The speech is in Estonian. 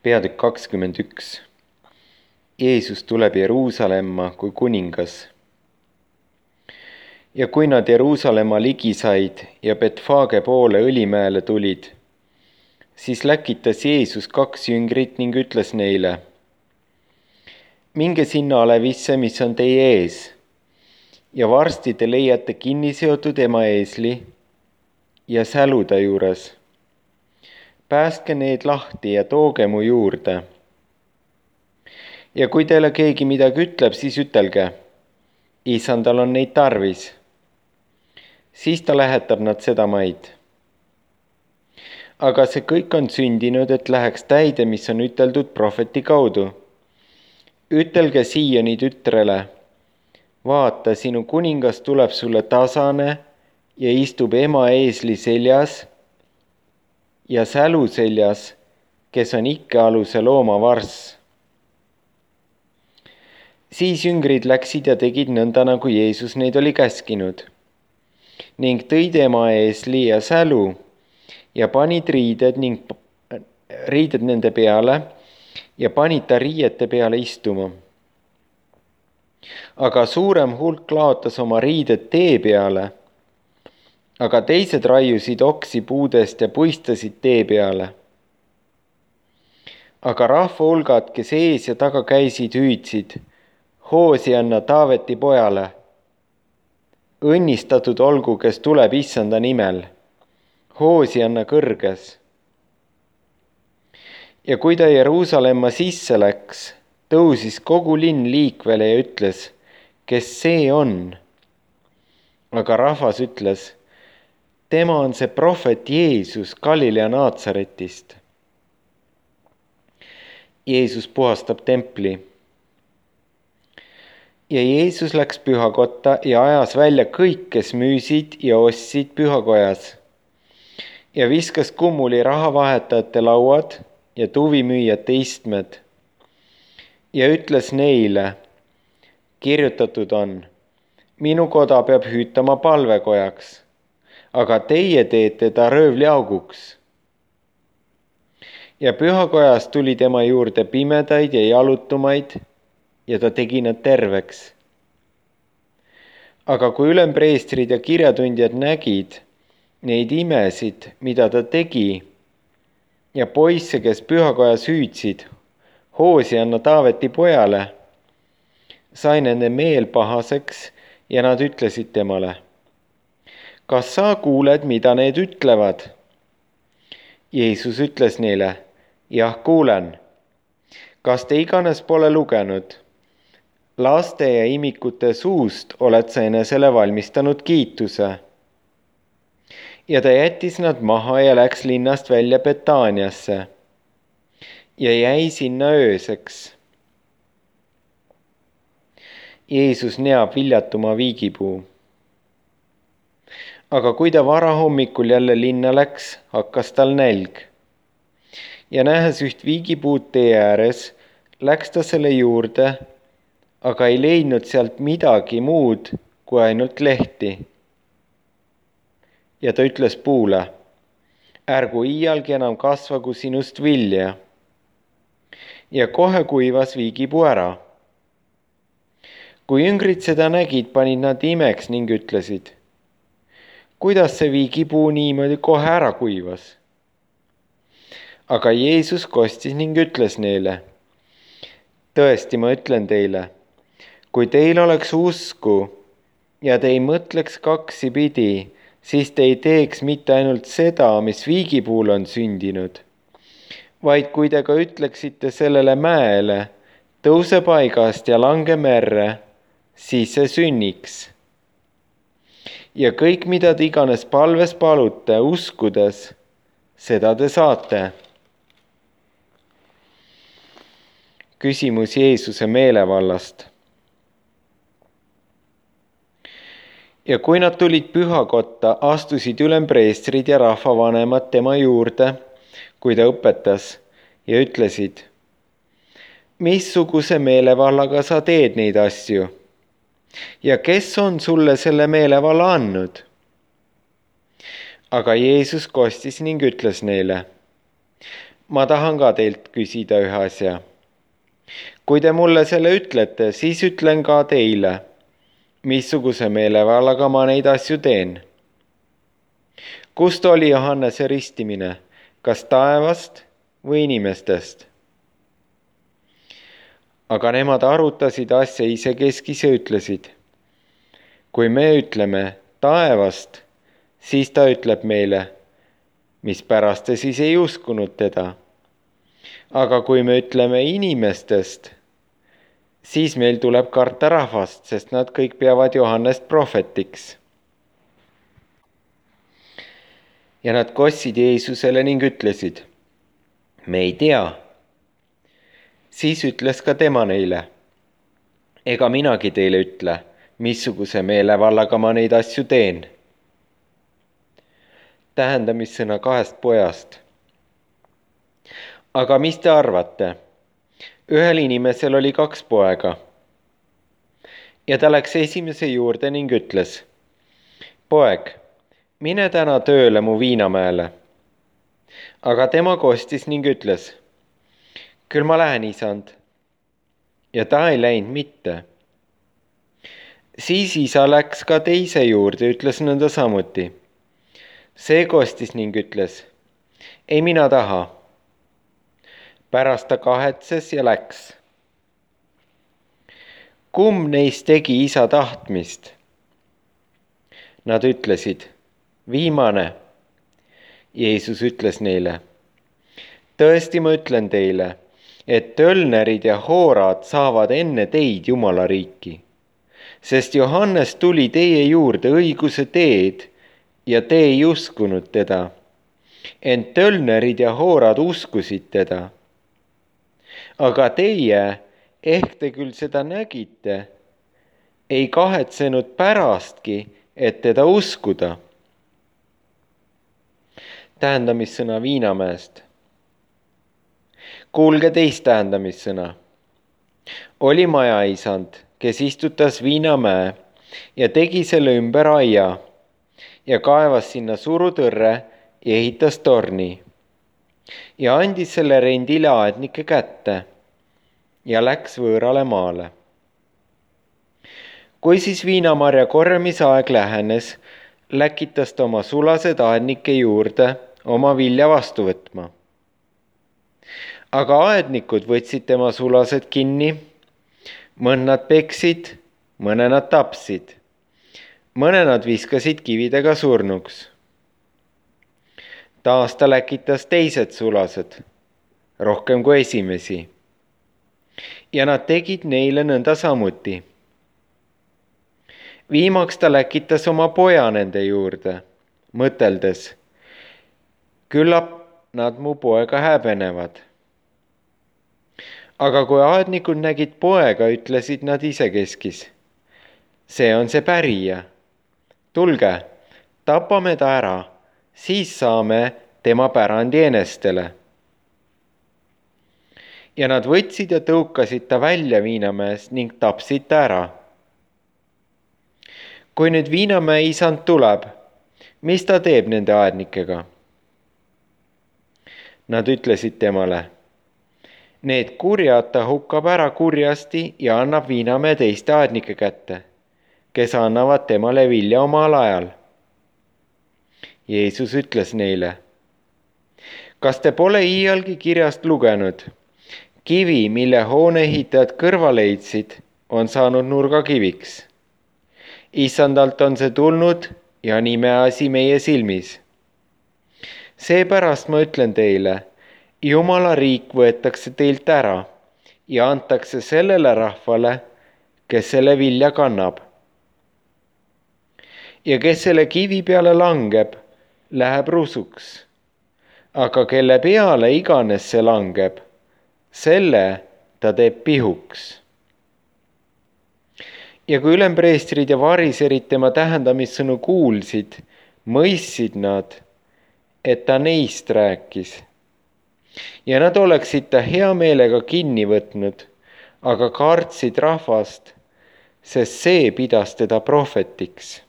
Peatükk 21. Jeesus tuleb Jeruusalemma kui kuningas. Ja kui nad Jeruusalemma ligi said ja Betfage poole Õlimäele tulid, siis läkitas Jeesus 2 jüngrit ning ütles neile: minge sinna alevisse, mis on teie ees, ja varsti te leiate kinni seotud emaeesli ja sälu ta juures. Päästke need lahti ja tooge mu juurde. Ja kui teile keegi midagi ütleb, siis ütelge: Issandal on neid tarvis. Siis ta lähetab nad sedamaid. Aga see kõik on sündinud, et läheks täide, mis on üteldud prohveti kaudu. Ütelge Siioni tütrele: vaata, sinu kuningas tuleb sulle tasane ja istub emaeesli seljas ja sälu seljas, kes on ikkealuse looma varss. Siis jüngrid läksid ja tegid nõnda, nagu Jeesus neid oli käskinud, ning tõid emaeesli ja sälu ja panid riided nende peale ja panid ta riiete peale istuma. Aga suurem hulk laotas oma riided tee peale, aga teised raiusid oksi puudest ja puistasid tee peale. Aga rahvahulgad, kes ees ja taga käisid, hüüdsid: Hoosianna Taaveti pojale! Õnnistatud olgu, kes tuleb Issanda nimel! Hoosianna kõrges! Ja kui ta Jeruusalemma sisse läks, tõusis kogu linn liikvele ja ütles: kes see on? Aga rahvas ütles: tema on see prohvet Jeesus Galilea Naatsaretist. Jeesus puhastab templi. Ja Jeesus läks pühakotta ja ajas välja kõik, kes müüsid ja ostsid pühakojas, ja viskas kummuli rahavahetajate lauad ja tuvimüüjate istmed ja ütles neile: kirjutatud on, minu koda peab hüütama palvekojaks, aga teie teete ta röövliauguks. Ja pühakojas tuli tema juurde pimedaid ja jalutumaid ja ta tegi nad terveks. Aga kui ülempreestrid ja kirjatundjad nägid neid imesid, mida ta tegi, ja poisse, kes pühakojas hüüdsid: Hoosianna Taaveti pojale, sai nende meel pahaseks ja nad ütlesid temale: kas sa kuuled, mida need ütlevad? Jeesus ütles neile: jah, kuulen. Kas te iganes pole lugenud? Laste ja imikute suust oled sa enesele valmistanud kiituse. Ja ta jättis nad maha ja läks linnast välja Betaaniasse ja jäi sinna ööseks. Jeesus neab viljatuma viigipuu. Aga kui ta varahommikul jälle linna läks, hakkas tal nälg. Ja nähes üht viigipuud tee ääres, läks ta selle juurde, aga ei leidnud sealt midagi muud kui ainult lehti. Ja ta ütles puule: ärgu iialgi enam kasvagu sinust vilja. Ja kohe kuivas viigipuu ära. Kui jüngrid seda nägid, panid nad imeks ning ütlesid: kuidas see viigipuu niimoodi kohe ära kuivas? Aga Jeesus kostis ning ütles neile: tõesti, ma ütlen teile, kui teil oleks usku ja te ei mõtleks kaksipidi, siis te ei teeks mitte ainult seda, mis viigipuul on sündinud, vaid kui te ka ütleksite sellele mäele: tõuse paigast ja lange merre, siis see sünniks. Ja kõik, mida te iganes palves palute, uskudes, seda te saate. Küsimus Jeesuse meelevallast. Ja kui nad tulid pühakotta, astusid ülempreestrid ja rahvavanemad tema juurde, kui ta õpetas, ja ütlesid: missuguse meelevallaga sa teed neid asju? Ja kes on sulle selle meelevalla andnud? Aga Jeesus kostis ning ütles neile: ma tahan ka teilt küsida ühe asja. Kui te mulle selle ütlete, siis ütlen ka teile, missuguse meelevallaga ma neid asju teen. Kust oli Johannese ristimine, kas taevast või inimestest? Aga nemad arutasid asja isekeskis ja ütlesid, kui me ütleme taevast, siis ta ütleb meile, mispärast te siis ei uskunud teda. Aga kui me ütleme inimestest, siis meil tuleb karta rahvast, sest nad kõik peavad Johannest prohvetiks. Ja nad kostsid Jeesusele ning ütlesid, me ei tea. Siis ütles ka tema neile, ega minagi teile ütle, missuguse meelevallaga ma neid asju teen. Tähendamissõna 2 pojast. Aga mis te arvate? Ühel inimesel oli 2 poega. Ja ta läks esimese juurde ning ütles, poeg, mine täna tööle mu viinamäele. Aga tema kostis ning ütles, küll ma lähen, isand. Ja ta ei läinud mitte. Siis isa läks ka teise juurde ja ütles nõnda samuti. See kostis ning ütles, ei mina taha. Pärast ta kahetses ja läks. Kumb neist tegi isa tahtmist? Nad ütlesid, viimane. Jeesus ütles neile, tõesti ma ütlen teile, et tölnerid ja hoorad saavad enne teid Jumala riiki, sest Johannes tuli teie juurde õiguse teed ja te ei uskunud teda, ent tölnerid ja hoorad uskusid teda. Aga teie, ehk te küll seda nägite, ei kahetsenud pärastki, et teda uskuda. Tähendamissõna Viinamäest. Kuulge teist tähendamissõna. Oli majaisand, kes istutas Viinamäe ja tegi selle ümber aia ja kaevas sinna surutõrre ja ehitas torni ja andis selle rendile aednike kätte ja läks võõrale maale. Kui siis viinamarja korjamisaeg lähenes, läkitas ta oma sulased aednike juurde oma vilja vastu võtma. Aga aednikud võtsid tema sulased kinni, mõnd nad peksid, mõne nad tapsid, mõne nad viskasid kividega surnuks. Taas ta läkitas teised sulased, rohkem kui esimesi. Ja nad tegid neile nõnda samuti. Viimaks ta läkitas oma poja nende juurde, mõteldes, küllap nad mu poega häbenevad. Aga kui aednikud nägid poega, ütlesid nad isekeskis, see on see pärija. Tulge, tapame ta ära, siis saame tema pärandi enestele. Ja nad võtsid ja tõukasid ta välja Viinamäest ning tapsid ta ära. Kui nüüd Viinamäe isand tuleb, mis ta teeb nende aednikega? Nad ütlesid temale, need kurjad ta hukkab ära kurjasti ja annab Viinamäe teiste aednike kätte, kes annavad temale vilja omal ajal. Jeesus ütles neile, kas te pole iialgi kirjast lugenud? Kivi, mille hooneehitajad kõrvale leidsid, on saanud nurgakiviks. Issandalt on see tulnud ja on imeasi meie silmis. Seepärast ma ütlen teile, Jumala riik võetakse teilt ära ja antakse sellele rahvale, kes selle vilja kannab. Ja kes selle kivi peale langeb, läheb rusuks. Aga kelle peale iganes see langeb, selle ta teeb pihuks. Ja kui ülempreestrid ja variserid tema tähendamissõnu kuulsid, mõistsid nad, et ta neist rääkis. Ja nad oleksid ta hea meelega kinni võtnud, aga kartsid rahvast, sest see pidas teda prohvetiks.